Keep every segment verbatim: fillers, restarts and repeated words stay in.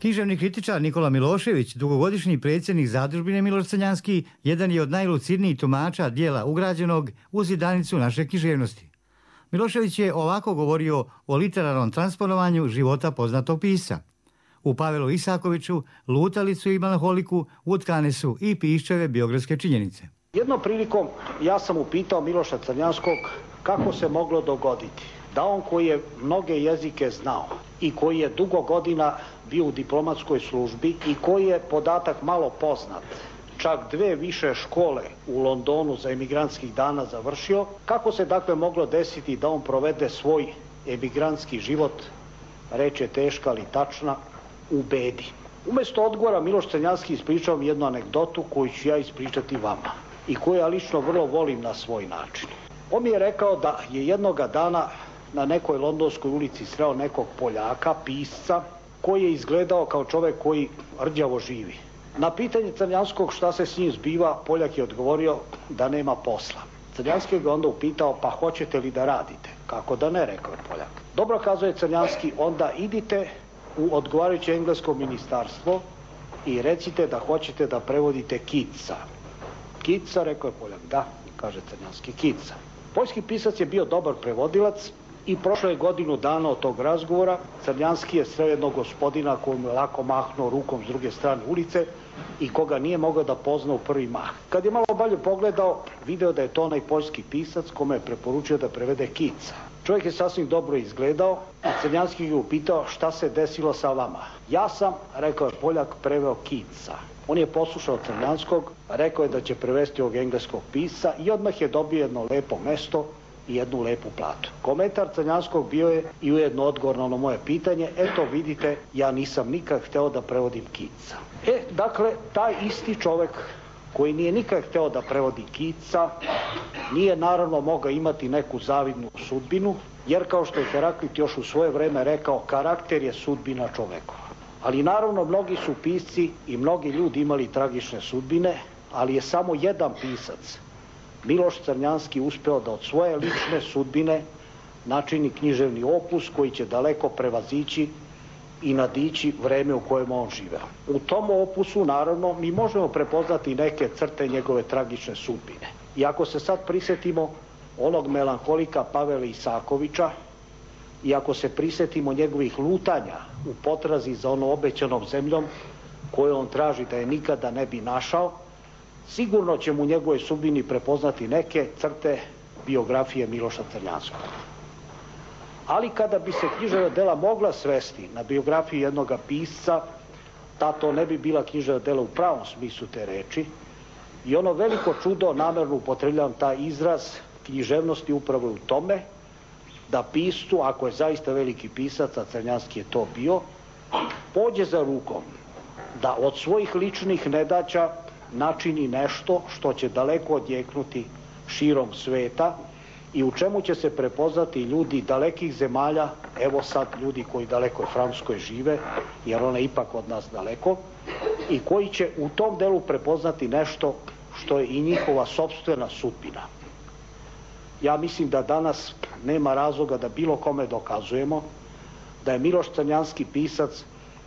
Književni kritičar Nikola Milošević, dugogodišnji predsjednik Zadružbine Miloš Crnjanski, jedan je od najlucidnijih tumača dijela ugrađenog u zidanicu naše književnosti. Milošević je ovako govorio o literarnom transponovanju života poznatog pisca. U Pavelu Isakoviću, Lutalicu i Melanholiku utkane su i Piščeve biografske činjenice. Jednom prilikom ja sam upitao Miloša Crnjanskog kako se moglo dogoditi da on koji je mnoge jezike znao i koji je dugo godina bio u diplomatskoj službi i koji je, podatak malo poznat, čak dve više škole u Londonu za emigrantskih dana završio, kako se dakle moglo desiti da on provede svoj emigrantski život, reče teška ali tačna, u bedi. Umjesto odgovora Miloš Crnjanski ispričao mi jednu anegdotu koju ću ja ispričati vama i koju ja lično vrlo volim na svoj način. On mi je rekao da je jednoga dana na nekoj londonskoj ulici sreo nekog Poljaka, pisca, koji je izgledao kao čovjek koji rđavo živi. Na pitanje Crnjanskog šta se s njim zbiva, Poljak je odgovorio da nema posla. Crnjanski ga onda upitao, pa hoćete li da radite? Kako da ne, rekao je Poljak. Dobro, kazuje Crnjanski, onda idite u odgovarajuće englesko ministarstvo i recite da hoćete da prevodite Keatsa. Keatsa, rekao je Poljak. Da, kaže Crnjanski, Keatsa. Poljski pisac je bio dobar prevodilac i prošlo je godinu dana od tog razgovora. Crnjanski je sreo jednog gospodina koji mu je lako mahnuo rukom s druge strane ulice i koga nije mogao da pozna u prvi mah. Kad je malo bolje pogledao, video da je to onaj poljski pisac kome je preporučio da prevede Keatsa. Čovjek je sasvim dobro izgledao i Crnjanski ga upitao šta se desilo sa vama. Ja sam, rekao je Poljak, preveo Keatsa. On je poslušao Crnjanskog, rekao je da će prevesti ovog engleskog pisca i odmah je dobio jedno lepo mesto i jednu lepu platu. Komentar Crnjanskog bio je i ujedno odgovor na ono moje pitanje, eto vidite, ja nisam nikad hteo da prevodim Keatsa. E, dakle, taj isti čovjek koji nije nikad hteo da prevodi Keatsa, nije naravno mogao imati neku zavidnu sudbinu, jer kao što je Heraklit još u svoje vreme rekao, karakter je sudbina čovekova. Ali naravno mnogi su pisci i mnogi ljudi imali tragične sudbine, ali je samo jedan pisac, Miloš Crnjanski, uspeo da od svoje lične sudbine načini književni opus koji će daleko prevazići i nadići vreme u kojem on živeo. U tom opusu, naravno, mi možemo prepoznati neke crte njegove tragične sudbine. I ako se sad prisjetimo onog melanholika Pavela Isakovića i ako se prisjetimo njegovih lutanja u potrazi za ono obećanom zemljom koju on traži da je nikada ne bi našao, sigurno ćemo u njegovoj sudbini prepoznati neke crte biografije Miloša Crnjanskog. Ali kada bi se književna dela mogla svesti na biografiju jednog pisca, ta to ne bi bila književna dela u pravom smislu te reči. I ono veliko čudo, namjerno upotrebljavam taj izraz književnosti upravo u tome, da piscu, ako je zaista veliki pisac, a Crnjanski je to bio, pođe za rukom da od svojih ličnih nedaća načini nešto što će daleko odjeknuti širom sveta i u čemu će se prepoznati ljudi dalekih zemalja, evo sad ljudi koji daleko u Francuskoj žive, jer ona je ipak od nas daleko, i koji će u tom delu prepoznati nešto što je i njihova sopstvena sudbina. Ja mislim da danas nema razloga da bilo kome dokazujemo da je Miloš Crnjanski pisac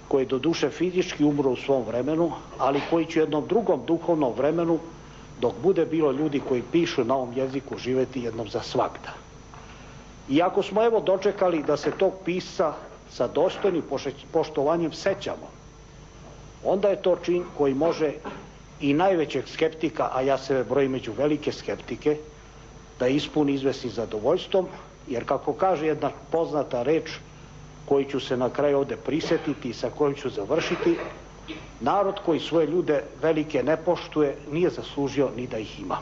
koji je doduše fizički umro u svom vremenu, ali koji će u jednom drugom duhovnom vremenu, dok bude bilo ljudi koji pišu na ovom jeziku, živeti jednom za svagda. I ako smo evo dočekali da se tog pisca sa dostojnim poštovanjem sećamo, onda je to čin koji može i najvećeg skeptika, a ja sebe brojim među velike skeptike, da ispuni izvesnim zadovoljstvom, jer kako kaže jedna poznata reč koju ću se na kraju ovdje prisjetiti i sa kojom ću završiti, narod koji svoje ljude velike ne poštuje nije zaslužio ni da ih ima.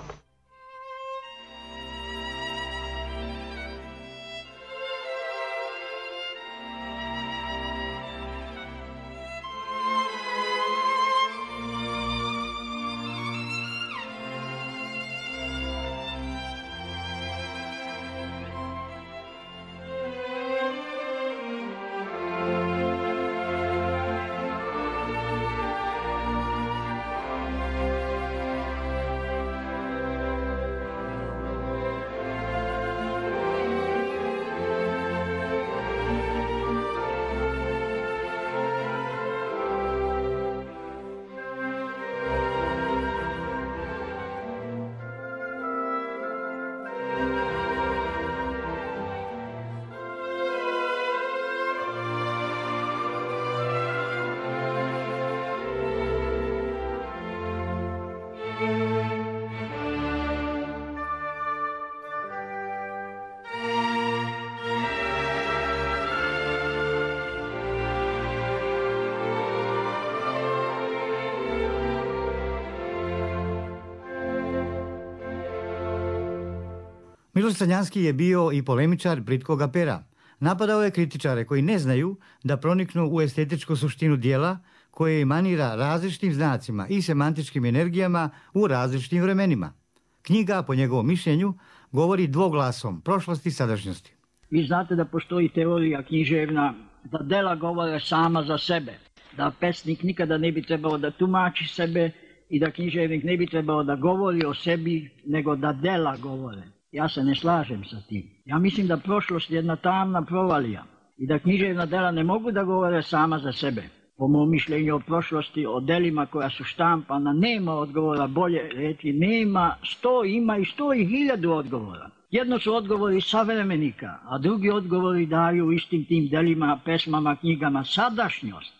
Miloš Crnjanski je bio i polemičar plitkog pera. Napadao je kritičare koji ne znaju da proniknu u estetičku suštinu dijela koje emanira različitim znacima i semantičkim energijama u različitim vremenima. Knjiga, po njegovom mišljenju, govori dvoglasom prošlosti i sadašnjosti. Vi znate da postoji teorija književna da dela govore sama za sebe, da pesnik nikada ne bi trebao da tumači sebe i da književnik ne bi trebao da govori o sebi, nego da dela govore. Ja se ne slažem sa tim. Ja mislim da prošlost je jedna tamna provalija i da književna dela ne mogu da govore sama za sebe. Po mom mišljenju o prošlosti, o delima koja su štampana, nema odgovora, bolje reći nema, sto ima i sto i hiljadu odgovora. Jedno su odgovori savremenika, a drugi odgovori daju istim tim delima, pesmama, knjigama sadašnjost.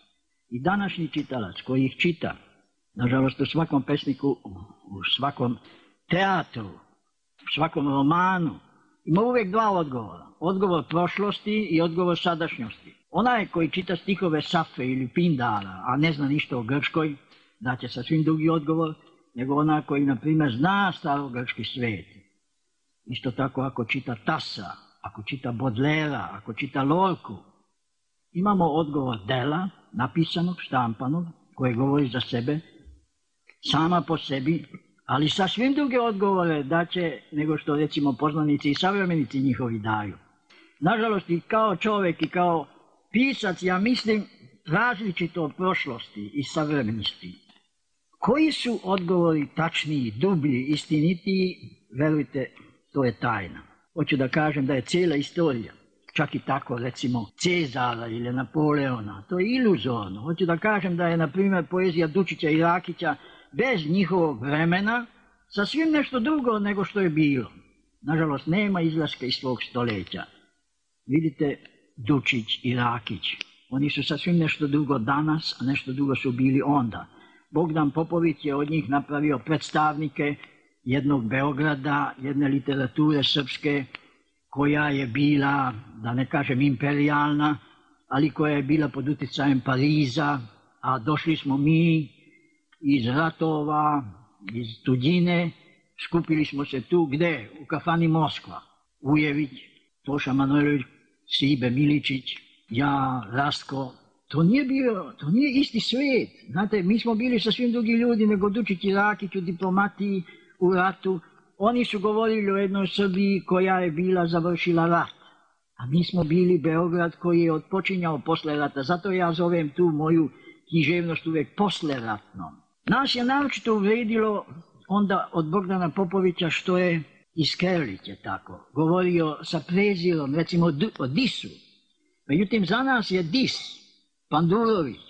I današnji čitalac koji ih čita, nažalost u svakom pesniku, u svakom teatru, u svakom romanu, ima uvijek dva odgovora. Odgovor prošlosti i odgovor sadašnjosti. Onaj koji čita stihove Safe ili Pindara, a ne zna ništa o Grčkoj, daće sasvim drugi odgovor, nego onaj koji, na primjer, zna starogrčki svijet. Isto tako ako čita Tasa, ako čita Bodlera, ako čita Lorku, imamo odgovor dela, napisanog, štampanog, koje govori za sebe, sama po sebi, ali sasvim druge odgovore daće nego što recimo poznanici i savremenici njihovi daju. Nažalost, i kao čovjek i kao pisac, ja mislim, različito od prošlosti i savremenosti. Koji su odgovori tačniji, dublji, istinitiji, verujte, to je tajna. Hoću da kažem da je cijela istorija, čak i tako recimo Cezara ili Napoleona, to je iluzorno. Hoću da kažem da je, na primjer, poezija Dučića i Rakića bez njihovog vremena sasvim nešto drugo nego što je bilo. Nažalost, nema izlaska iz svog stoljeća. Vidite, Dučić i Rakić, oni su sasvim nešto drugo danas, a nešto drugo su bili onda. Bogdan Popović je od njih napravio predstavnike jednog Beograda, jedne literature srpske, koja je bila, da ne kažem imperijalna, ali koja je bila pod utjecajem Pariza, a došli smo mi iz ratova, iz tuđine, skupili smo se tu, gde? U kafani Moskva. Ujević, Toša Manojlović, Sibe Miličić, ja, Rastko. To nije bio, to nije isti svijet. Znate, mi smo bili sasvim drugi ljudi nego Dučić i Rakić u diplomatiji, u ratu. Oni su govorili o jednoj Srbiji koja je bila završila rat. A mi smo bili Beograd koji je odpočinjao posle rata. Zato ja zovem tu moju književnost uvijek posleratnom. Nas je naročito uvredilo onda od Bogdana Popovića što je iz Kerliće tako govorio sa prezirom, recimo o Disu. Međutim, za nas je Dis, Pandurović,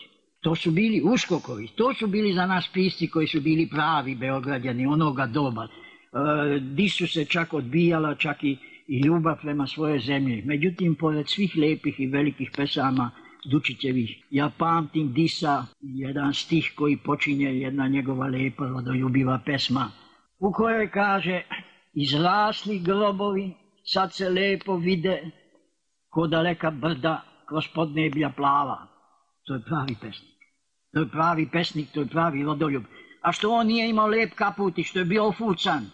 to su bili Uškoković, to su bili za nas pisci koji su bili pravi Beograđani onoga doba. E, Disu se čak odbijala, čak i, i ljubav prema svojoj zemlji. Međutim, pored svih lepih i velikih pesama Dučićevih, ja pamtim Disa, jedan stih koji počinje, jedna njegova lepa rodoljubiva pesma, u kojoj kaže: izrasli grobovi, sad se lepo vide, ko daleka brda kroz podneblja plava. To je pravi pesnik. To je pravi pesnik, to je pravi rodoljub. A što on nije imao lep kaput i što je bio ofucan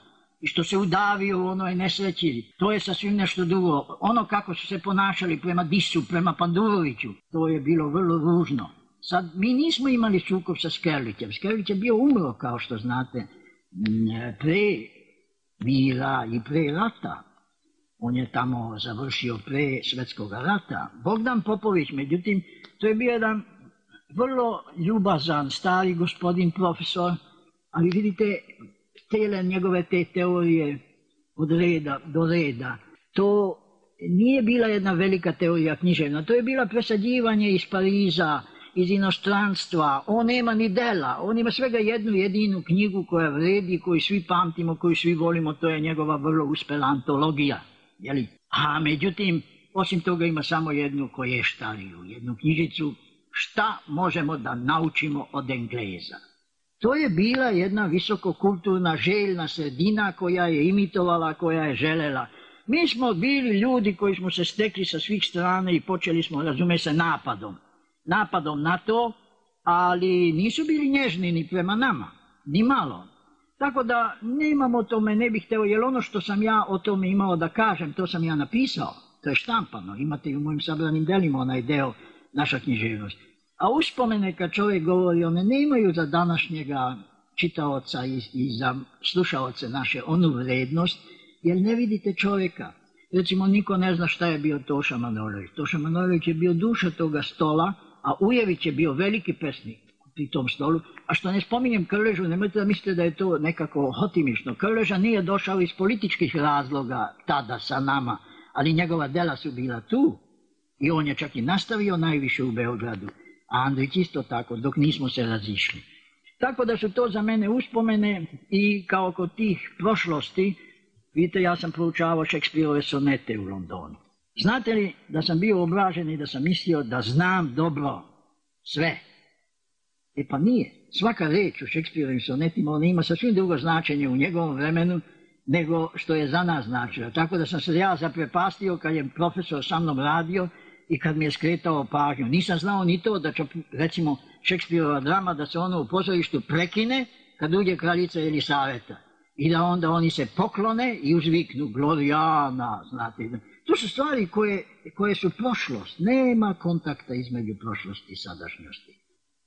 i što se udavio u onoj nesreći, to je sasvim nešto drugo. Ono kako su se ponašali prema Disu, prema Panduroviću, to je bilo vrlo ružno. Sad, mi nismo imali sukob sa Skerlićem. Skerlić je bio umro, kao što znate, pre mira i pre rata. On je tamo završio pre Svetskog rata. Bogdan Popović, međutim, to je bio jedan vrlo ljubazan, stari gospodin profesor, ali vidite, tele njegove te teorije od reda do reda, to nije bila jedna velika teorija književna, to je bila presađivanje iz Pariza, iz inostranstva. On nema ni dela, on ima svega jednu jedinu knjigu koja vredi, koju svi pamtimo, koju svi volimo, to je njegova vrlo uspela antologija. Jeli? A međutim, osim toga ima samo jednu koještariju, jednu knjižicu Šta možemo da naučimo od Engleza. To je bila jedna visokokulturna željna sredina koja je imitovala, koja je želela. Mi smo bili ljudi koji smo se stekli sa svih strana i počeli smo, razume se, napadom. Napadom na to, ali nisu bili nježni ni prema nama, ni malo. Tako da nemam o tome, ne bih hteo, jer ono što sam ja o tome imao da kažem, to sam ja napisao, to je štampano, imate i u mojim sabranim delima onaj deo naša književnost. A uspomene kad čovjek govori, one ne imaju za današnjega čitaoca i, i za slušaoce naše onu vrednost, jer ne vidite čovjeka. Recimo, niko ne zna šta je bio Toša Manojlović. Toša Manojlović je bio duša toga stola, a Ujević je bio veliki pesnik pri tom stolu. A što ne spominjem Krležu, nemojte da mislite da je to nekako hotimično. Krleža nije došao iz političkih razloga tada sa nama, ali njegova dela su bila tu i on je čak i nastavio najviše u Beogradu. A Andrić isto tako, dok nismo se razišli. Tako da su to za mene uspomene i kao kod tih prošlosti, vidite, ja sam proučavao Šekspirove sonete u Londonu. Znate li da sam bio obražen i da sam mislio da znam dobro sve? E pa nije. Svaka reč u Šekspirovim sonetima, ona ima sasvim drugo značenje u njegovom vremenu nego što je za nas značilo. Tako da sam se ja zaprepastio kad je profesor sa mnom radio i kad mi je skretao pažnju. Nisam znao ni to da će, recimo, Šekspirova drama, da se ono u pozorištu prekine kad uđe kraljica Elisaveta. I da onda oni se poklone i uzviknu Glorijana, znate. To su stvari koje, koje su prošlost. Nema kontakta između prošlosti i sadašnjosti.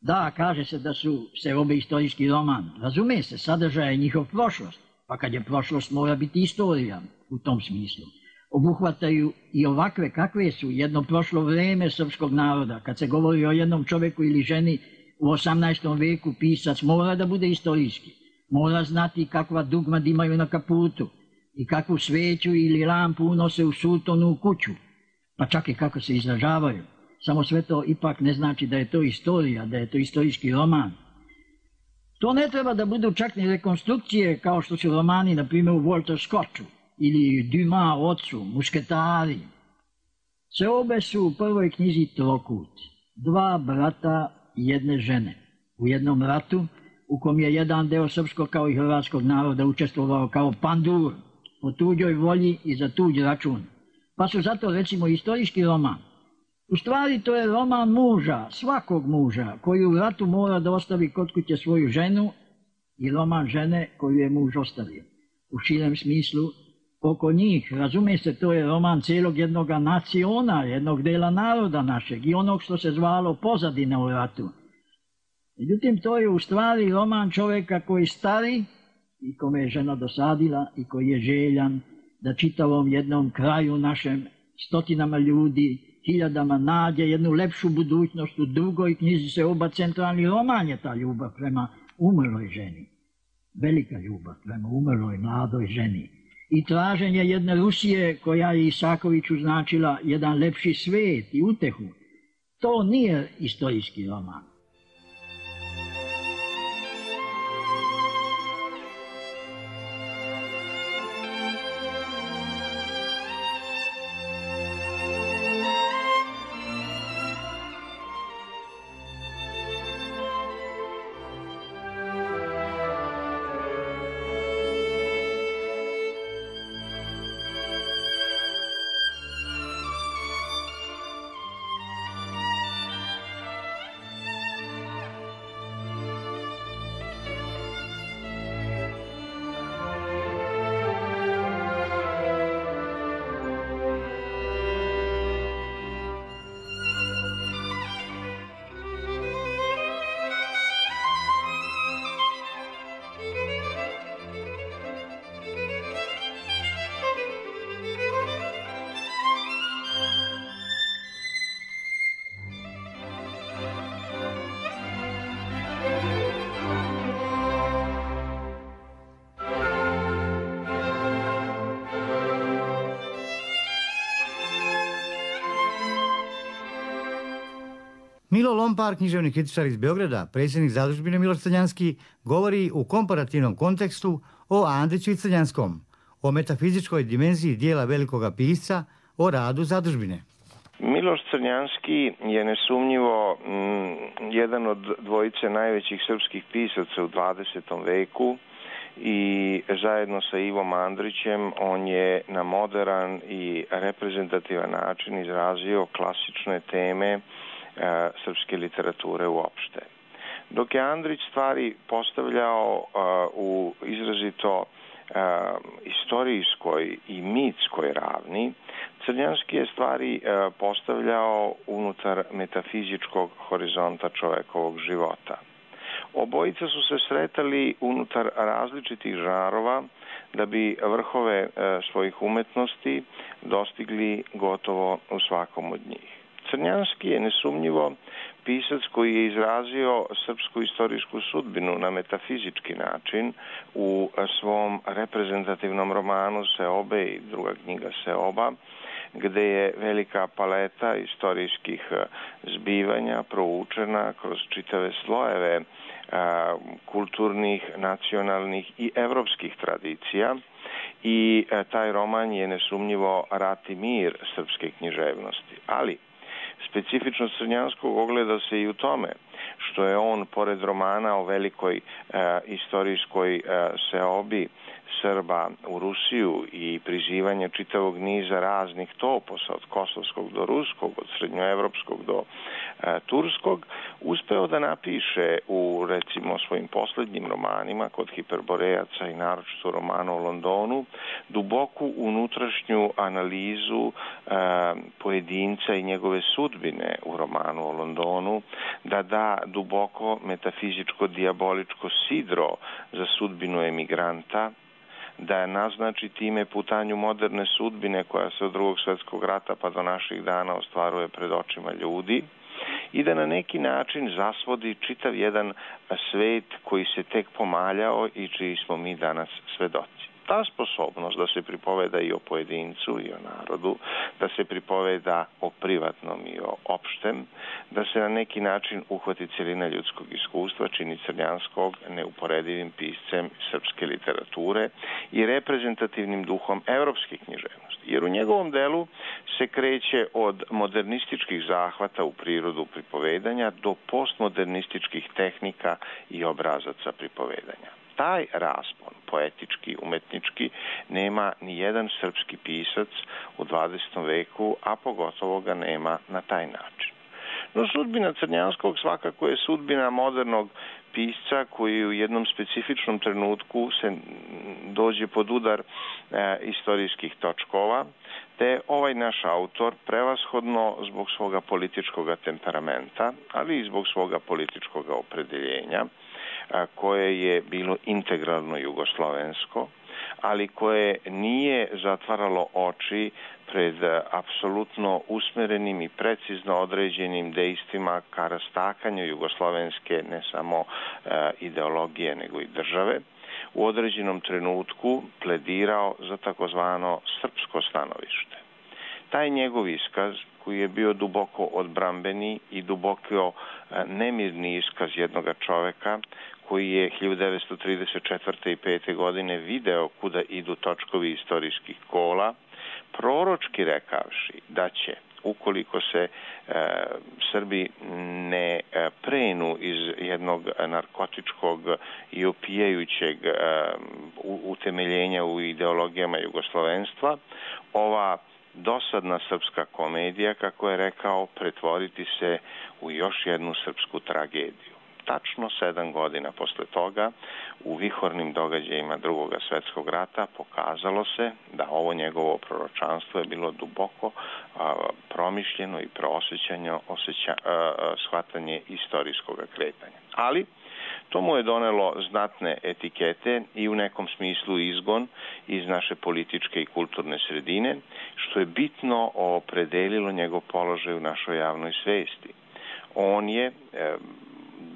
Da, kaže se da su serobe istorijski roman. Razume se, sadržaj je njihov prošlost. Pa kad je prošlost, mora biti istorija u tom smislu. Obuhvataju i ovakve kakve su jedno prošlo vreme srpskog naroda. Kad se govori o jednom čoveku ili ženi u osamnaestom veku, pisac mora da bude istorijski. Mora znati kakva dugmad imaju na kaputu i kakvu sveću ili lampu unose u sutonu u kuću, pa čak i kako se izražavaju. Samo sve to ipak ne znači da je to istorija, da je to istorijski roman. To ne treba da budu čak ni rekonstrukcije kao što su romani, na primjer, u Walter Scottu ili Dumas ocu, Mušketari. Seobe su u prvoj knjizi trokut, dva brata i jedne žene. U jednom ratu u kom je jedan deo srpskog kao i hrvatskog naroda učestvovao kao pandur, po tuđoj volji i za tuđ račun. Pa su zato, recimo, istorijski roman. U stvari to je roman muža, svakog muža, koji u ratu mora da ostavi kod kuće svoju ženu, i roman žene koju je muž ostavio. U širem smislu, oko njih, razume se, to je roman cijelog jednog naciona, jednog dela naroda našeg i onog što se zvalo pozadina u ratu. Međutim, to je u stvari roman čovjeka koji stari i kome je žena dosadila i koji je željan da čitavom jednom kraju našem, stotinama ljudi, hiljadama nađe jednu lepšu budućnost. U drugoj knjizi se oba centralni roman je ta ljubav prema umrloj ženi. Velika ljubav prema umrloj mladoj ženi. I traženje jedne Rusije koja je Isakoviću značila jedan lepši svet i utehu. To nije istorijski roman. Milo Lompar, književni kritičar iz Beograda, predsjednik Zadužbine Miloš Crnjanski, govori u komparativnom kontekstu o Andriću i Crnjanskom, o metafizičkoj dimenziji dijela velikoga pisca, o radu Zadužbine. Miloš Crnjanski je nesumnjivo m, jedan od dvojice najvećih srpskih pisaca u dvadesetom veku i zajedno sa Ivom Andrićem on je na moderan i reprezentativan način izrazio klasične teme srpske literature uopšte. dok je Andrić stvari postavljao uh, u izrazito uh, istorijskoj i mitskoj ravni, Crnjanski je stvari uh, postavljao unutar metafizičkog horizonta čovekovog života. Obojica su se sretali unutar različitih žarova da bi vrhove e, svojih umetnosti dostigli gotovo u svakom od njih. Crnjanski je nesumnjivo pisac koji je izrazio srpsku istorijsku sudbinu na metafizički način u svom reprezentativnom romanu Seobe i druga knjiga Seoba, gde je velika paleta istorijskih zbivanja proučena kroz čitave slojeve a, kulturnih, nacionalnih i evropskih tradicija i a, taj roman je nesumnjivo rat i mir srpske književnosti. Ali specifičnost Crnjanskog ogleda se i u tome što je on, pored romana o velikoj a, istorijskoj a, seobi Srba u Rusiju i prizivanje čitavog niza raznih toposa od kosovskog do ruskog, od srednjoevropskog do e, turskog, uspeo da napiše u, recimo, svojim poslednjim romanima kod Hiperborejaca i naročito romanu o Londonu duboku unutrašnju analizu e, pojedinca i njegove sudbine u romanu o Londonu, da da duboko metafizičko dijaboličko sidro za sudbinu emigranta, da naznači time putanju moderne sudbine koja se od drugog svjetskog rata pa do naših dana ostvaruje pred očima ljudi i da na neki način zasvodi čitav jedan svet koji se tek pomaljao i čiji smo mi danas svedoci. Ta sposobnost da se pripoveda i o pojedincu i o narodu, da se pripoveda o privatnom i o opštem, da se na neki način uhvati celina ljudskog iskustva, čini Crnjanskog neuporedivim piscem srpske literature i reprezentativnim duhom evropske književnosti. Jer u njegovom delu se kreće od modernističkih zahvata u prirodu pripovedanja do postmodernističkih tehnika i obrazaca pripovedanja. Taj raspon, poetički, umetnički, nema ni jedan srpski pisac u dvadesetom veku, a pogotovo ga nema na taj način. No sudbina Crnjanskog svakako je sudbina modernog pisca koji u jednom specifičnom trenutku se dođe pod udar e, istorijskih točkova, te ovaj naš autor prevashodno zbog svoga političkog temperamenta, ali i zbog svoga političkog opredeljenja, koje je bilo integralno jugoslovensko, ali koje nije zatvaralo oči pred apsolutno usmerenim i precizno određenim dejstvima ka rastakanju jugoslovenske ne samo ideologije nego i države, u određenom trenutku pledirao za takozvano srpsko stanovište. Taj njegov iskaz, koji je bio duboko odbrambeni i duboko nemirni iskaz jednoga čoveka, koji je hiljadu devetsto trideset četvrte i pete godine video kuda idu točkovi istorijskih kola, proročki rekavši da će, ukoliko se e, Srbi ne e, prenu iz jednog narkotičkog i opijajućeg e, utemeljenja u ideologijama jugoslovenstva, ova dosadna srpska komedija, kako je rekao, pretvoriti se u još jednu srpsku tragediju. Tačno sedam godina posle toga, u vihornim događajima drugog svjetskog rata, pokazalo se da ovo njegovo proročanstvo je bilo duboko a, promišljeno i proosjećanje osjeća, a, shvatanje istorijskog kretanja. Ali to mu je donelo znatne etikete i u nekom smislu izgon iz naše političke i kulturne sredine, što je bitno opredelilo njegov položaj u našoj javnoj svesti. On je e,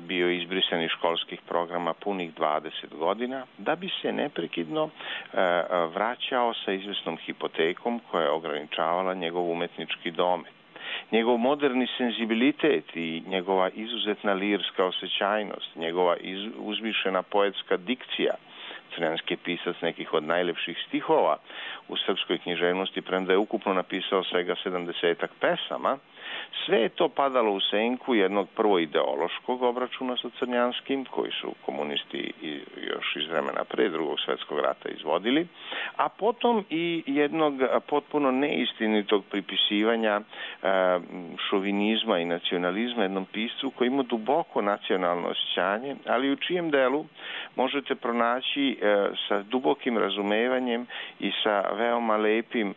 bio izbrisan iz školskih programa punih dvadeset godina, da bi se neprekidno e, vraćao sa izvesnom hipotekom koja je ograničavala njegov umetnički domet. Njegov moderni senzibilitet i njegova izuzetna lirska osjećajnost, njegova iz, uzvišena poetska dikcija, Crnjanski je pisac nekih od najlepših stihova u srpskoj književnosti, premda je ukupno napisao svega sedamdesetak pesama, Sve je to padalo u senku jednog prvo ideološkog obračuna sa Crnjanskim, koji su komunisti još iz vremena pre Drugog svjetskog rata izvodili, a potom i jednog potpuno neistinitog pripisivanja šovinizma i nacionalizma jednom piscu koji ima duboko nacionalno osjećanje, ali u čijem delu možete pronaći sa dubokim razumevanjem i sa veoma lepim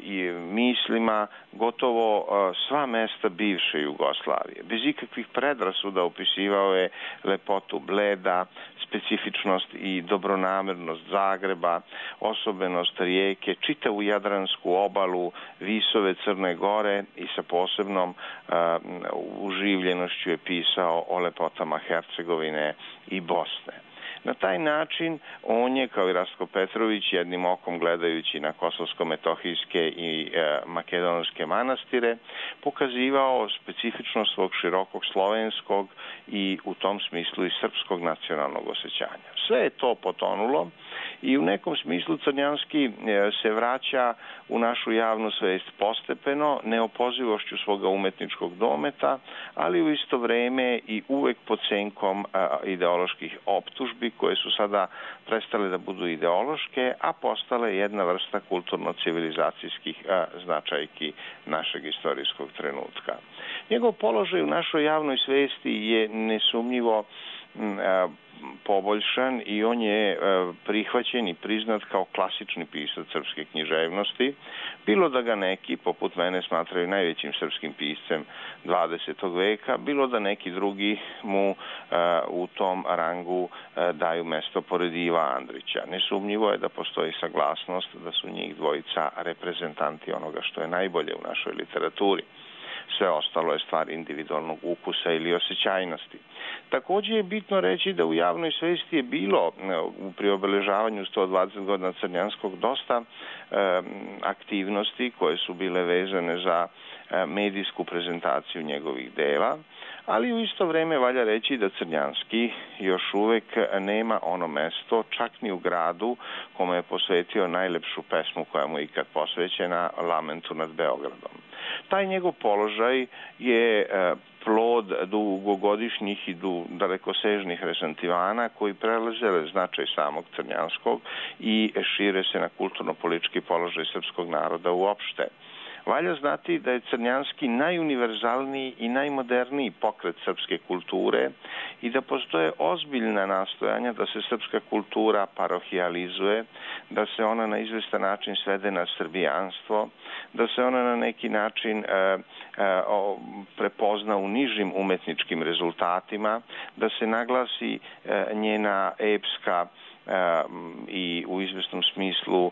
i mislima gotovo sva mesta bivše Jugoslavije. Bez ikakvih predrasuda opisivao je lepotu Bleda, specifičnost i dobronamernost Zagreba, osobenost Rijeke, čitavu Jadransku obalu, visove Crne Gore i sa posebnom uh, uživljenošću je pisao o lepotama Hercegovine i Bosne. Na taj način on je, kao i Rastko Petrović, jednim okom gledajući na kosovsko-metohijske i e, makedonske manastire, pokazivao specifičnost svog širokog slovenskog i u tom smislu i srpskog nacionalnog osjećanja. Sve je to potonulo i u nekom smislu Crnjanski e, se vraća u našu javnu svest postepeno, neopozivošću svoga umetničkog dometa, ali u isto vreme i uvek pod senkom e, ideoloških optužbi koje su sada prestale da budu ideološke, a postale jedna vrsta kulturno-civilizacijskih značajki našeg istorijskog trenutka. Njegov položaj u našoj javnoj svesti je nesumnjivo poboljšan i on je prihvaćen i priznat kao klasični pisac srpske književnosti, bilo da ga neki, poput mene, smatraju najvećim srpskim piscem dvadesetog veka, bilo da neki drugi mu u tom rangu daju mesto pored Iva Andrića. Nesumnjivo je da postoji saglasnost da su njih dvojica reprezentanti onoga što je najbolje u našoj literaturi. Sve ostalo je stvar individualnog ukusa ili osjećajnosti. Također je bitno reći da u javnoj svesti je bilo pri obeležavanju sto dvadeset godina Crnjanskog dosta e, aktivnosti koje su bile vezane za e, medijsku prezentaciju njegovih dela, ali u isto vreme valja reći da Crnjanski još uvek nema ono mesto, čak ni u gradu kome je posvetio najlepšu pesmu koja mu je ikad posvećena, Lamentu nad Beogradom. Taj njegov položaj je plod dugogodišnjih i dalekosežnih resentivana koji prelaze značaj samog Crnjanskog i šire se na kulturno-politički položaj srpskog naroda uopšte. Valja znati da je Crnjanski najuniverzalniji i najmoderniji pokret srpske kulture i da postoje ozbiljna nastojanja da se srpska kultura parohijalizuje, da se ona na izvestan način svede na srbijanstvo, da se ona na neki način e, e, prepozna u nižim umetničkim rezultatima, da se naglasi e, njena epska i u izvesnom smislu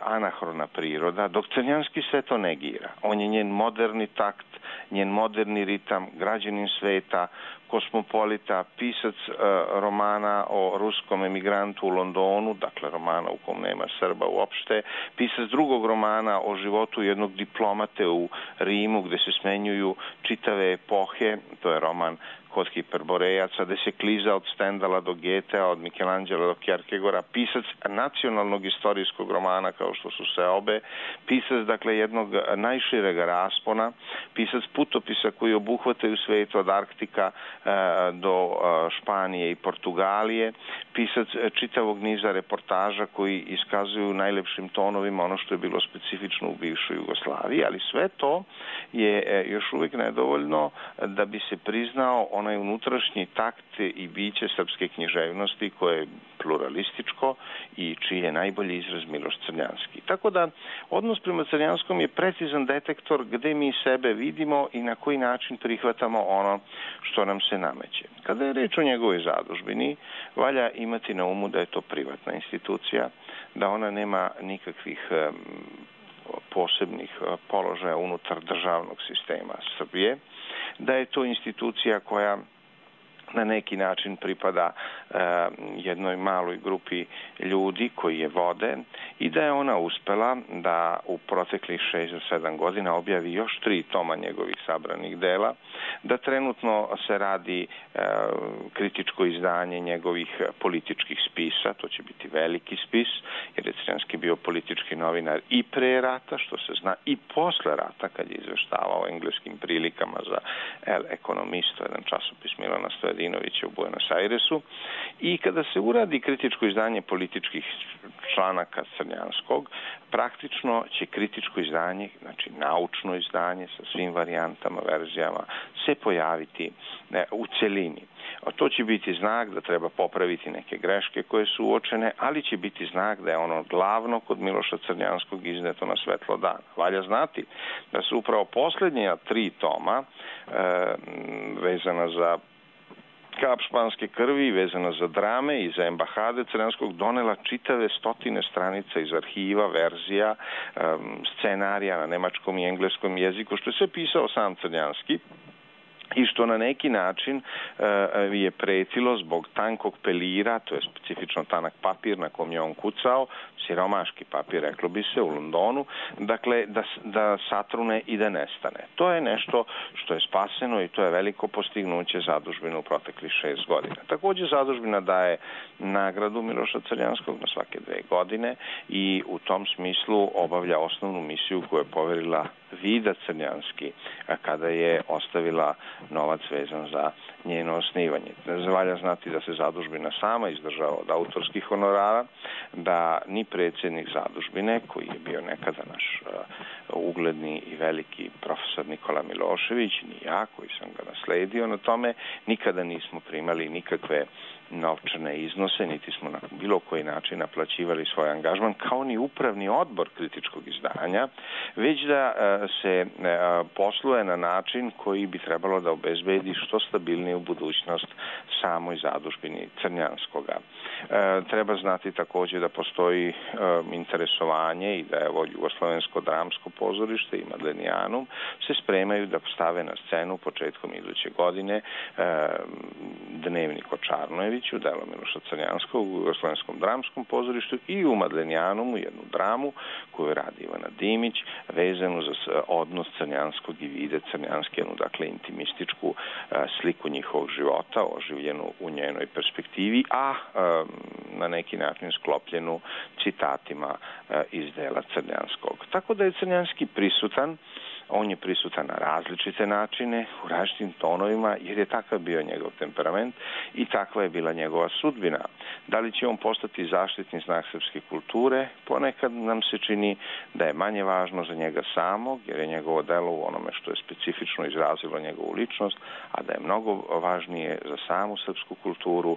anahrona priroda, dok Crnjanski sve to negira. On je njen moderni takt, njen moderni ritam, građanin sveta, kosmopolita, pisac romana o ruskom emigrantu u Londonu, dakle romana u kom nema Srba uopšte, pisac drugog romana o životu jednog diplomate u Rimu gde se smenjuju čitave epohe, to je roman Kod Hiperborejaca, gde se kliza od Stendala do Getea, od Michelangela do Kierkegora, pisac nacionalnog istorijskog romana kao što su Seobe, pisac dakle jednog najšireg raspona, pisac putopisa koji obuhvataju svet od Arktika e, do e, Španije i Portugalije, pisac čitavog niza reportaža koji iskazuju najlepšim tonovima ono što je bilo specifično u bivšoj Jugoslaviji, ali sve to je e, još uvijek nedovoljno da bi se priznao onaj unutrašnji takt i biće srpske književnosti koje je pluralističko i čiji je najbolji izraz Miloš Crnjanski. Tako da odnos prema Crnjanskom je precizan detektor gde mi sebe vidimo i na koji način prihvatamo ono što nam se nameće. Kada je reč o njegovoj zadužbini, valja imati na umu da je to privatna institucija, da ona nema nikakvih posebnih položaja unutar državnog sistema Srbije, da je to institucija koja na neki način pripada jednoj maloj grupi ljudi koji je vode i da je ona uspela da u proteklih šest do sedam godina objavi još tri toma njegovih sabranih dela, da trenutno se radi kritičko izdanje njegovih političkih spisa, to će biti veliki spis, jer je Crnjanski bio politički novinar i pre rata, što se zna, i posle rata, kad je izveštavao o engleskim prilikama za El Economisto, jedan časopis Milana Stojadinovića u Buenos Airesu. I kada se uradi kritičko izdanje političkih članaka Crnjanskog, praktično će kritičko izdanje, znači naučno izdanje sa svim varijantama, verzijama, se pojaviti u celini. A to će biti znak da treba popraviti neke greške koje su uočene, ali će biti znak da je ono glavno kod Miloša Crnjanskog izneto na svetlo dana. Valja znati da su upravo posljednja tri toma e, vezana za kap španske krvi, vezana za drame i za embahade Crnjanskog, donela čitave stotine stranica iz arhiva, verzija, um, scenarija na nemačkom i engleskom jeziku, što je sve pisao sam Crnjanski i što na neki način uh, je pretilo zbog tankog pelira, to je specifično tanak papir na kom je on kucao, siromaški papir, reklo bi se, u Londonu, dakle, da, da satrune i da nestane. To je nešto što je spaseno i to je veliko postignuće zadužbine u proteklih šest godina. Također zadužbina daje nagradu Miloša Crnjanskog na svake dve godine i u tom smislu obavlja osnovnu misiju koju je poverila Vida Crnjanski kada je ostavila novac vezan za njeno osnivanje. Valja znati da se zadužbina sama izdržava od autorskih honorara, da ni predsjednik zadužbine, koji je bio nekada naš uh, ugledni i veliki profesor Nikola Milošević, ni ja, koji sam ga nasledio na tome, nikada nismo primali nikakve novčane iznose, niti smo na bilo koji način naplaćivali svoj angažman, kao ni upravni odbor kritičkog izdanja, već da uh, se uh, posluje na način koji bi trebalo da obezbedi što stabilniju budućnost samoj zadužbini Crnjanskoga. E, treba znati također da postoji e, interesovanje i da evo Jugoslovensko dramsko pozorište i Madlenijanum se spremaju da stave na scenu početkom iduće godine e, Dnevnik o Čarnojeviću, delo Miloša Crnjanskog u Jugoslovenskom dramskom pozorištu i u Madlenijanumu jednu dramu koju radi Ivana Dimić vezanu za odnos Crnjanskog i Vide Crnjanske, jednu dakle intimističku e, sliku njihovog života, oživljenu u njenoj perspektivi, a e, na neki način sklopljenu citatima e, iz dela Crnjanskog. Tako da je Crnjanski prisutan, on je prisutan na različite načine, u različitim tonovima, jer je takav bio njegov temperament i takva je bila njegova sudbina. Da li će on postati zaštitni znak srpske kulture? Ponekad nam se čini da je manje važno za njega samog, jer je njegovo delo u onome što je specifično izrazilo njegovu ličnost, a da je mnogo važnije za samu srpsku kulturu.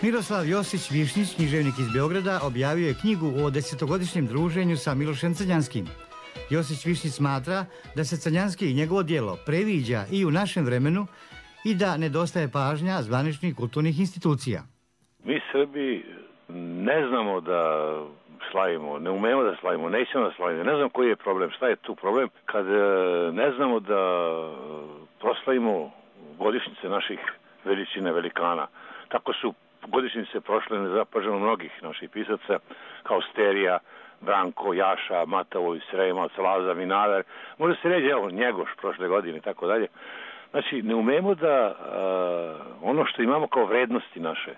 Miroslav Josić Višnjić, književnik iz Beograda, objavio je knjigu o desetogodišnjem druženju sa Milošem Crnjanskim. Josić Višnjić smatra da se Crnjanski i njegovo djelo previđa i u našem vremenu i da nedostaje pažnja zvaničnih kulturnih institucija. Mi Srbi ne znamo da slavimo, ne umemo da slavimo, nećemo da slavimo, ne znam koji je problem, šta je tu problem, kad ne znamo da proslavimo godišnjice naših veličine, velikana. Tako su godišnjice prošle nezapaženo mnogih naših pisaca, kao Sterija, Branko, Jaša, Matavoj, Sremac, Laza, Vinaver, može se reći, evo, Njegoš prošle godine i tako dalje. Znači, ne umemo da uh, ono što imamo kao vrednosti naše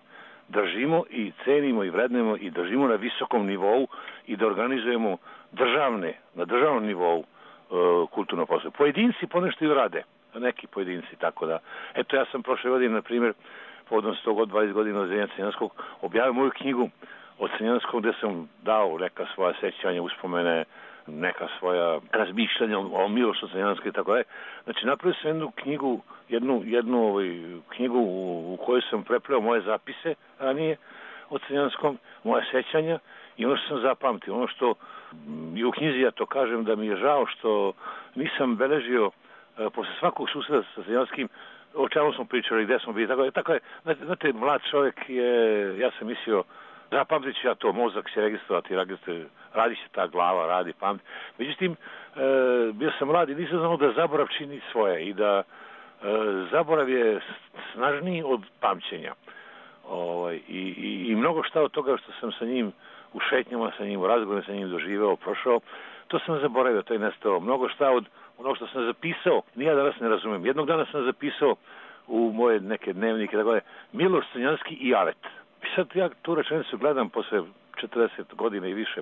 držimo i cenimo i vrednujemo i držimo na visokom nivou i da organizujemo državne, na državnom nivou uh, kulturno posao. Pojedinci ponešto i rade, neki pojedinci, tako da. Eto, ja sam prošle godine, na primjer, povodom sto dvadeset godina od Zdenja Crnjanskog, objavio moju knjigu od Crnjanskog gde sam dao neka svoja sećanja, uspomene, neka svoja razmišljanja o Milošu Crnjanskom i tako dalje. Znači, napravio sam jednu knjigu, jednu, jednu ovaj, knjigu u, u kojoj sam prepleo moje zapise ranije o Crnjanskom, moje sećanja i ono što sam zapamtio. Ono što i u knjizi ja to kažem da mi je žao što nisam beležio e, posle svakog susreta sa Crnjanskim o čemu smo pričali, gde smo bili, tako je, tako je, znate, mlad čovjek je, ja sam mislio, zapamtit ću ja to, mozak će registrovati, radi se ta glava, radi pamet. Međutim, e, bio sam mlad i nisam znao da zaborav čini svoje i da e, zaborav je snažniji od pamćenja. Ovaj, i, i, I mnogo šta od toga što sam sa njim u šetnjama, sa njim u razgovoru, sa njim doživeo, prošao, to sam zaboravio, to je nestalo. Mnogo šta od ono što sam zapisao, nija danas ne razumem. Jednog dana sam zapisao u moje neke dnevnike, tako je, Miloš Crnjanski i Alet. I sad ja tu rečenicu gledam posle četrdeset godina i više.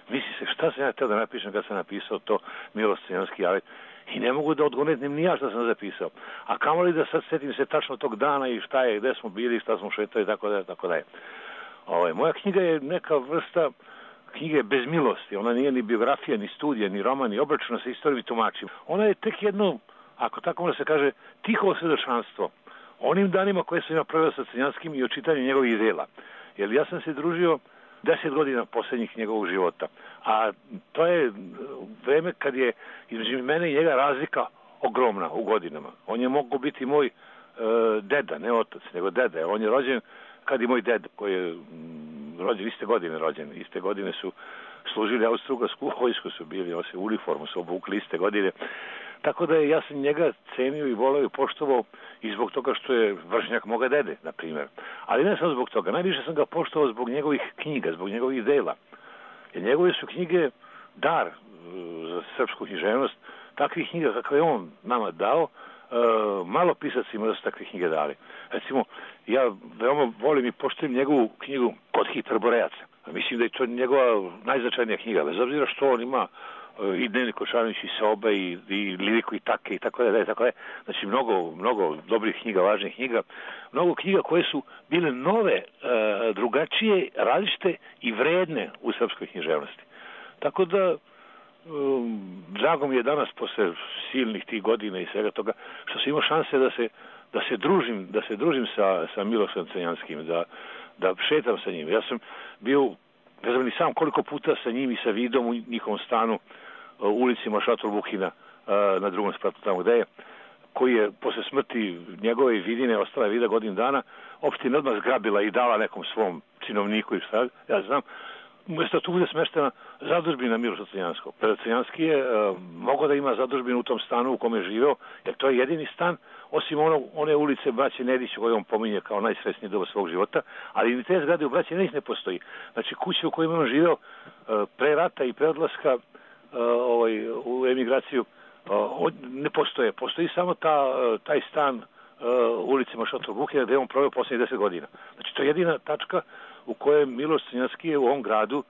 Misli se, šta sam ja htio da napišem kad sam napisao to Miloš Crnjanski i Alet. I ne mogu da odgonetim ni ja šta sam zapisao. A kamoli da sad setim se tačno tog dana i šta je, gde smo bili, šta smo šetali i tako dalje, tako dalje. Ovaj, moja knjiga je neka vrsta knjige bez milosti. Ona nije ni biografija, ni studija, ni roman, ni obračuna sa istorijom i tumačima. Ona je tek jedno, ako tako može se kaže, tiho svedočanstvo onim danima koje sam ja proveo sa Crnjanskim i o čitanju njegovih dela. Jer ja sam se družio deset godina posljednjih njegovog života. A to je vreme kad je između mene i njega razlika ogromna u godinama. On je mogao biti moj e, deda, ne otac, nego deda. On je rođen kad i moj deda, koji je m, rođen, iste godine rođen. Iste godine su služili austrougarsku vojsku, su bili, on se u uniformu su obukli iste godine. Tako da je, ja sam njega cenio i voleo i poštovao i zbog toga što je vršnjak moga dede, na primjer. Ali ne samo zbog toga. Najviše sam ga poštovao zbog njegovih knjiga, zbog njegovih dela. Jer njegove su knjige dar za srpsku književnost. Takvih knjiga kakve je on nama dao, malo pisacima da su takve knjige dali. Recimo, ja veoma volim i poštujem njegovu knjigu Kod Hiperborejaca. Mislim da je to njegova najznačajnija knjiga, bez obzira što on ima i Dnevnik Košanović i Sobe i, i Liriku i Take i tako da, tako da. Znači mnogo, mnogo dobrih knjiga, važnih knjiga, mnogo knjiga koje su bile nove, e, drugačije, različite i vredne u srpskoj književnosti. Tako da um, drago mi je danas posle silnih tih godina i svega toga što sam imao šanse da se da se družim, da se družim sa sa Milošem Crnjanskim, da da šetam sa njim. Ja sam bio, ne znam ni sam koliko puta sa njim i sa Vidom u njihovom stanu u ulici Mašator Vuhina na drugom spratu tamo gde je, koji je posle smrti njegove Vidine, ostala je Vida godinu dana, opština odmah zgrabila i dala nekom svom činovniku i šta, ja znam, umjesto tu bude smeštena zadužbina Miloša Crnjanskog. Crnjanski je uh, mogao da ima zadužbinu u tom stanu u kome je živeo, jer to je jedini stan, osim ono, one ulice Braće Nedić koju on pominje kao najsrećniji doba svog života, ali ni te zgrade u Braće Nedić ne postoji. Znači kuće u kojima je on živeo uh, pre rata i pre odlaska uh, ovaj, u emigraciju uh, ne postoje. Postoji samo ta, uh, taj stan uh, ulice Mašator Vuhina gde je on proveo poslednjih deset godina. Znači to je jedina tačka u kojem Miloš Crnjanski je u ovom gradu,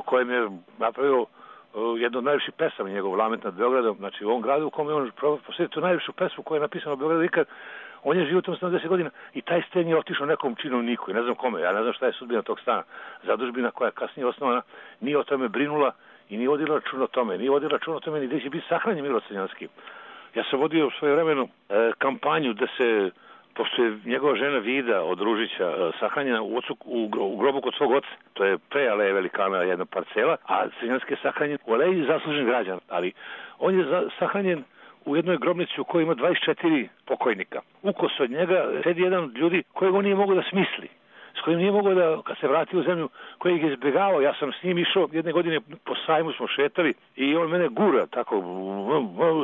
kojem je napravio jedno od najviših pesama njegov Lament nad Beogradom, znači u ovom gradu u kojem je on posjetio tu najvišu pesmu koja je napisana u Beogradu ikad, on je živio u tom stanu deset godina i taj sten je otišao nekom činovniku, ne znam kome, ja ne znam šta je sudbina tog stana. Zadužbina koja je kasnije osnovana nije o tome brinula i nije vodila računa o tome, nije vodila računa o tome ni gde će biti sahranjen Miloš Crnjanski. Ja sam vodio u svoje vremenu e, kampanju da se, pošto je njegova žena Vida od Ružića sahranjena u, ocu, u, u grobu kod svog oca, to je pre Aleje Velikana jedna parcela, a Crnjanski je sahranjen u Aleji zaslužen građan, ali on je za, sahranjen u jednoj grobnici u kojoj ima dvadeset četiri pokojnika. Ukos od njega sedi jedan od ljudi kojeg on nije mogao da smisli. s kojim nije mogao da, kad se vratio u zemlju, koji je izbjegavao. Ja sam s njim išao, jedne godine po sajmu smo šetali i on mene gura, tako,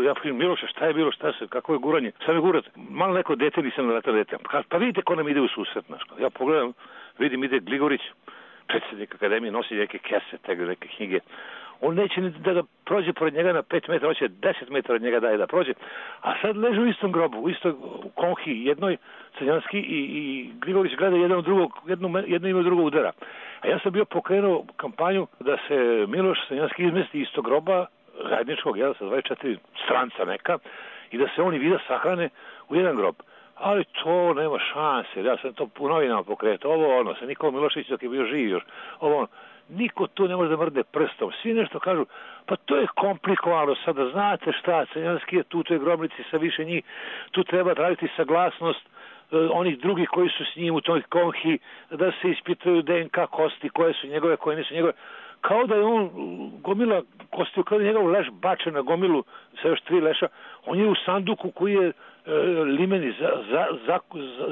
ja pitam, Miloše, šta je bilo, šta se, kako je guranje, šta me gurate? Malo neko dete, nisam naletao dete. Pa vidite ko nam ide u susret, znaš. Ja pogledam, vidim, ide Gligorić, predsjednik akademije, nosi neke kese, tega, neke knjige. On neće da ga prođe pored njega na pet metara, hoće deset metara od njega daje da prođe. A sad leže u istom grobu, u istoj konhi, jednoj Crnjanski i, i Gligorić gleda jedan od drugog, jedno, jedno ime od drugog udara. A ja sam bio pokrenuo kampanju da se Miloš Crnjanski izmesti iz tog groba zajedničkog, jel, sa dvadeset četiri stranca neka, i da se oni vida sahrane u jedan grob. Ali to nema šanse, ja sam to u novinama pokretao, ovo ono, sa Nikolom Milošević dok je bio živ još, ovo ono. Niko tu ne može da mrde prstom. Svi nešto kažu, pa to je komplikovano sada, znate šta, Crnjanski je tu, to je grobnici sa više njih, tu treba raditi saglasnost uh, onih drugih koji su s njim u toj konhi, da se ispitaju D N K kosti, koje su njegove, koje nisu njegove. Kao da je on gomila kostiju, kao da je njegov leš bačen na gomilu sa još tri leša, on je u sanduku koji je e, limeni, za, za, za,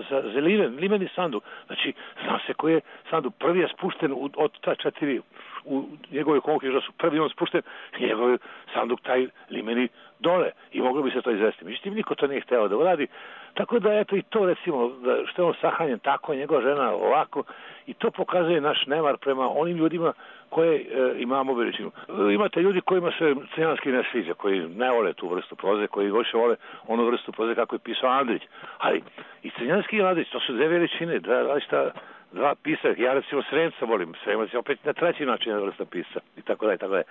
za, za limen, limeni sanduk. Znači, zna se koji je sanduk. Prvi je spušten u, od ta četiri u njegove konke, što su prvi on spušten, njegov sanduk taj limeni dole i moglo bi se to izvesti. Međutim, niko to nije hteo da uradi. Tako da, eto, i to recimo, da što je on sahranjen tako, njegova žena ovako, i to pokazuje naš nemar prema onim ljudima koje e, imamo veličinu. E, imate ljudi kojima se Crnjanski ne sviđa, koji ne vole tu vrstu proze, koji više vole onu vrstu proze kako je pisao Andrić. Ali i Crnjanski i Andrić, to su dve veličine, dva različita dva pisa. Ja recimo Sremca volim, Sremac je opet na treći način vrsta pisa i tako da i tako da.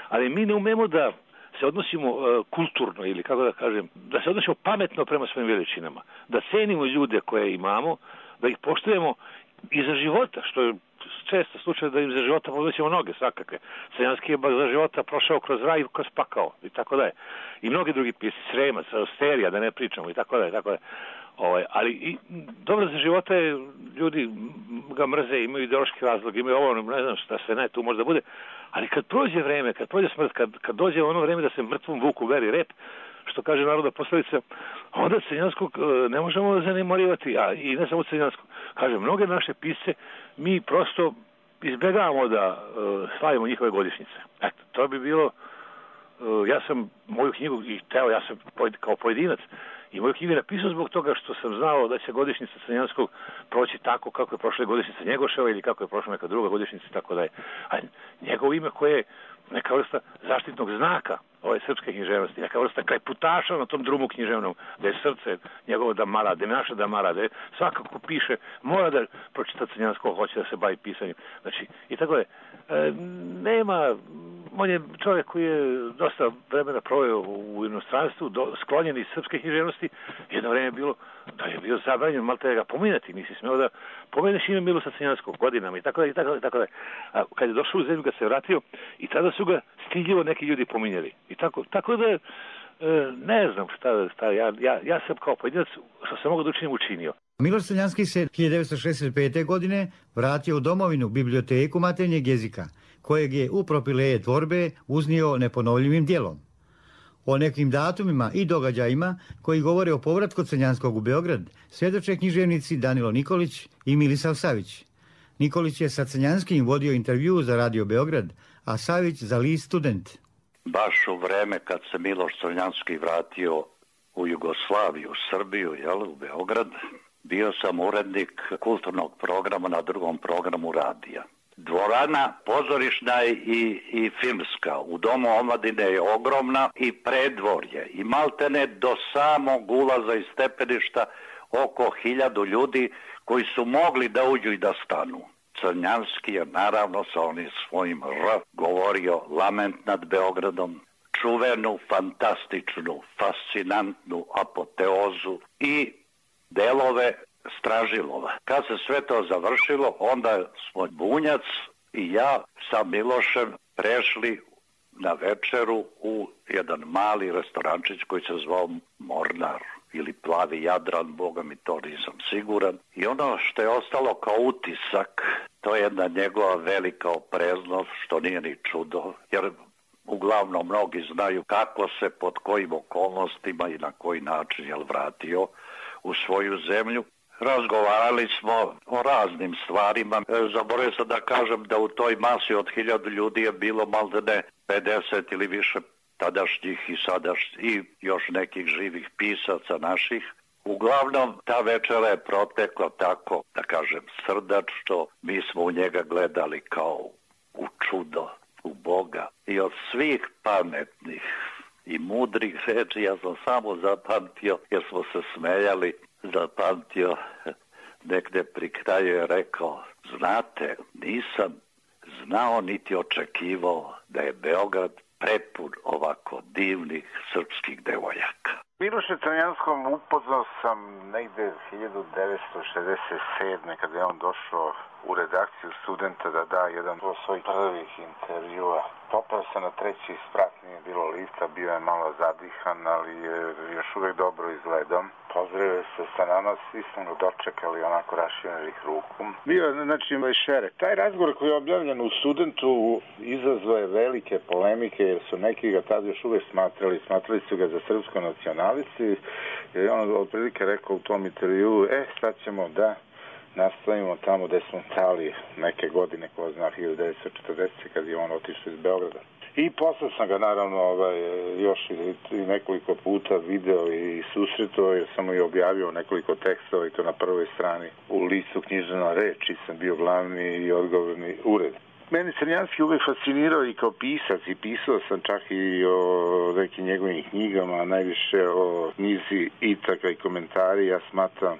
Ali mi ne umemo da se odnosimo uh, kulturno ili kako da kažem, da se odnosimo pametno prema svojim veličinama, da cenimo ljude koje imamo, da ih poštujemo i za života, što je često slučaj da im za života podnoćemo noge svakakve. Crnjanski je za života prošao kroz raj i kroz pakao i tako da je. I mnogi drugi pisci, Sremac, Osterija, da ne pričamo i tako da je, tako da je. Ovaj, ali i dobro za života je, ljudi ga mrze, imaju ideološki razlog, imaju ovo, ne znam šta sve ne, tu možda bude, ali kad prođe vreme, kad prođe smrt, kad, kad dođe ono vreme da se mrtvom vuku veri rep, što kaže narodna poslovica, onda Crnjanskog ne možemo zanemarivati, a i ne samo Crnjanskog. Kaže, mnoge naše pisce mi prosto izbjegavamo da uh, slavimo njihove godišnjice. Eto, to bi bilo, uh, ja sam moju knjigu, i teo, ja sam kao pojedinac, i moju knjigu napisao zbog toga što sam znao da će godišnjica Crnjanskog proći tako kako je prošla godišnjica Njegoševa ili kako je prošla neka druga godišnjica i tako da je. A njegovo ime koje je neka vrsta zaštitnog znaka ove srpske književnosti, neka vrsta krajputaša na tom drumu književnom, da je srce njegovo da mara, da je naša da mara, da je svakako piše, mora da pročita Crnjanskog, hoće da se bavi pisanjem. Znači, i tako je. E, nema, on je čovjek koji je dosta vremena proveo u inostranstvu, do, sklonjen iz srpske književnosti, jedno vreme je bilo da je bio zabranjen malo da ga pominjati, nisi smeo da pomeneš ime Miloša Crnjanskog godinama i tako da i tako da i tako da. A kad je došao u zemlju, kad se vratio, i tada su ga stidljivo neki ljudi pominjali. I tako, tako da e, ne znam šta, šta ja, ja, ja sam kao pojedinac što sam mogu da učinim učinio. Miloš Crnjanski se hiljadu devetsto šezdeset pete. godine vratio u domovinu biblioteku maternjeg jezika, kojeg je u Propileje tvorbe uznio neponovljivim djelom. O nekim datumima i događajima koji govore o povratku Crnjanskog u Beograd svjedoče književnici Danilo Nikolić i Milisav Savić. Nikolić je sa Crnjanskim vodio intervju za Radio Beograd, a Savić za list Student. Baš u vreme kad se Miloš Crnjanski vratio u Jugoslaviju, u Srbiju, jel, u Beograd, bio sam urednik kulturnog programa na drugom programu radija. Dvorana pozorišna i, i filmska u Domu omladine je ogromna i predvorje i maltene do samog ulaza iz stepeništa oko hiljadu ljudi koji su mogli da uđu i da stanu. Crnjanski je naravno sa onim svojim R govorio lament nad Beogradom, čuvenu, fantastičnu, fascinantnu apoteozu i delove Stražilova. Kad se sve to završilo, onda smo Bunjac i ja sa Milošem prešli na večeru u jedan mali restorančić koji se zvao Mornar ili Plavi Jadran, boga mi to nisam siguran. I ono što je ostalo kao utisak, to je jedna njegova velika opreznost, što nije ni čudo, jer uglavnom mnogi znaju kako se, pod kojim okolnostima i na koji način je vratio u svoju zemlju. Razgovarali smo o raznim stvarima. Zaboravio sam da kažem da u toj masi od hiljadu ljudi je bilo maltene pedeset ili više tadašnjih i sadašnjih i još nekih živih pisaca naših. Uglavnom, ta večera je protekla tako, da kažem, srdačno. Mi smo u njega gledali kao u čudo, u Boga. I od svih pametnih i mudrih reči ja sam samo zapamtio, jer smo se smejali, zapamtio negde pri kraju je rekao: znate, nisam znao niti očekivao da je Beograd prepun ovako divnih srpskih devojaka. Miloša Crnjanskog upoznao sam negde hiljadu devetsto šezdeset sedme kada je on došao u redakciju Studenta da da jedan od svojih prvih intervjua. Popao se na treći sprat, nije bilo lifta, bio je malo zadihan, ali je još uvijek dobro izgledao. Pozdravio se sa nama, svi smo ga dočekali onako raširenih ruku. Bio je, znači, šere. Taj razgovor koji je objavljen u Studentu izazvao je velike polemike, jer su neki ga tada još uvijek smatrali, smatrali su ga za srpsko nacionalisti. I on otprilike rekao u tom intervju: e, sad ćemo da nastavimo tamo gde smo stali neke godine, ko zna, hiljadu devetsto četrdesete kad je on otišao iz Beograda. I posle sam ga naravno ovaj, još i nekoliko puta video i susretao, jer sam mu i objavio nekoliko tekstova i to na prvoj strani u listu Književna reč, i sam bio glavni i odgovorni ured. Meni Crnjanski uvek fascinirao i kao pisac, i pisao sam čak i o nekim njegovim knjigama, najviše o knjizi Itaka i komentari. Ja smatram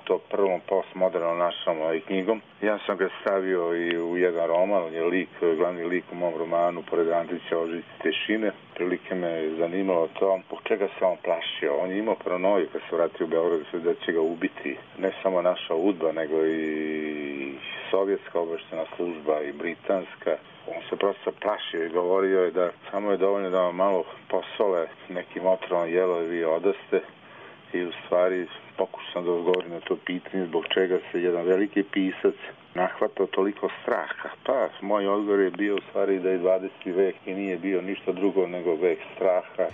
to prvom postmodernom našom ovaj knjigom. Ja sam ga stavio i u jedan roman, on je lik, glavni lik u mom romanu, pored Andrića Ožici Tešine. Prilike me zanimalo to, zbog čega se on plašio. On je imao paranoju kad se vratio u Beograd da će ga ubiti. Ne samo naša udba, nego i sovjetska obaveštajna služba i britanska. On se prosto plašio i govorio je da samo je dovoljno da vam malo posole nekim otrovom jelovi i odaste. I u stvari pokušam da odgovorim na to pitanje zbog čega se jedan veliki pisac nahvatao toliko straha. Pa, moj odgovor je bio u stvari da je dvadeseti vek i nije bio ništa drugo nego vek straha.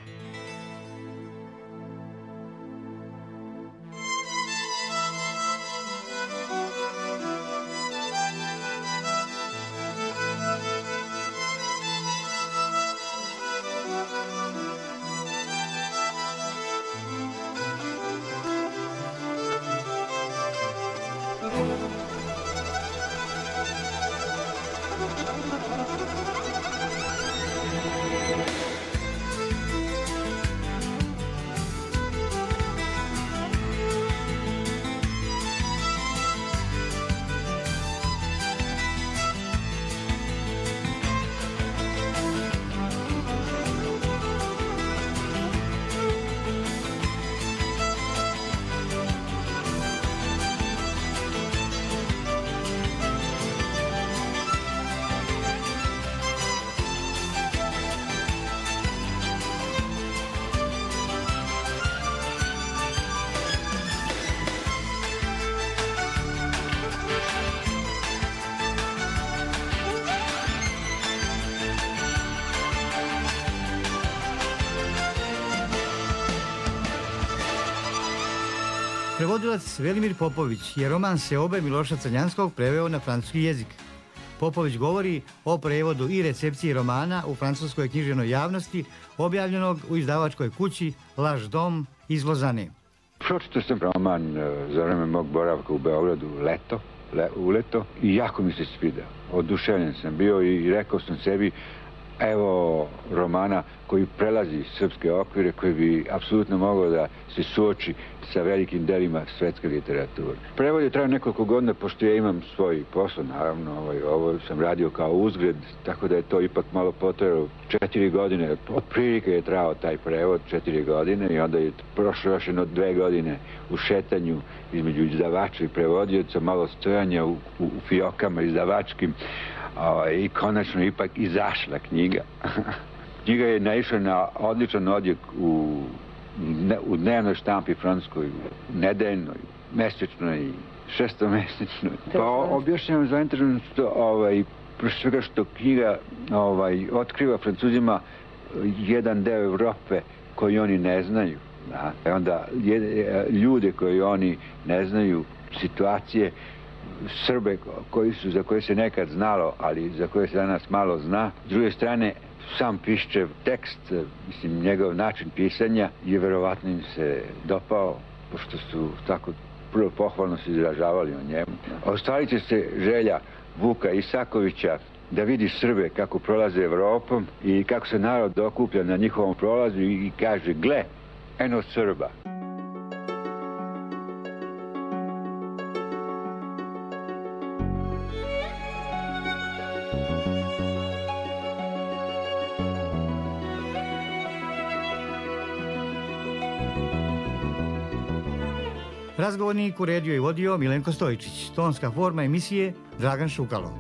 Prevodilac Velimir Popović je roman Seobe Miloša Crnjanskog preveo na francuski jezik. Popović govori o prevodu i recepciji romana u francuskoj književnoj javnosti, objavljenog u izdavačkoj kući Laš dom iz Lozane. Pročitao sam roman za vreme mog boravka u Beogradu leto, le, u leto, i jako mi se svidao. Oduševljen sam bio i rekao sam sebi: evo romana koji prelazi srpske okvire, koji bi apsolutno mogao da se suoči sa velikim delima svetske literature. Prevod je trajao nekoliko godina, pošto ja imam svoj posao, naravno, ovaj, ovo sam radio kao uzgred, tako da je to ipak malo potrajalo četiri godine. Otprilike je trajao taj prevod četiri godine i onda je prošlo još jedno dve godine u šetanju između izdavača i prevodioca, malo stojanja u, u, u fiokama izdavačkim, o, i konačno ipak izašla knjiga. Knjiga je naišla na odličan odjek u u dnevnoj štampi francuskoj, nedeljnoj, mesečnoj, šestomesečnoj. Pa objašnjavam zainteresovanost ovaj, pre svega što knjiga ovaj, otkriva Francuzima jedan deo Evrope koji oni ne znaju. Da? Onda je, ljude koji oni ne znaju situacije, Srbe koji su, za koje se nekad znalo, ali za koje se danas malo zna. S druge strane, sam Piščev tekst, mislim, njegov način pisanja je verovatno im se dopao, pošto su tako prvo pohvalno se izražavali o njemu. Ostavit će se želja Vuka Isakovića da vidi Srbe kako prolaze Evropom i kako se narod okuplja na njihovom prolazu i kaže, gle, eno Srba. Razgovornik uredio i vodio Milenko Stojičić. Tonska forma emisije Dragan Šukalo.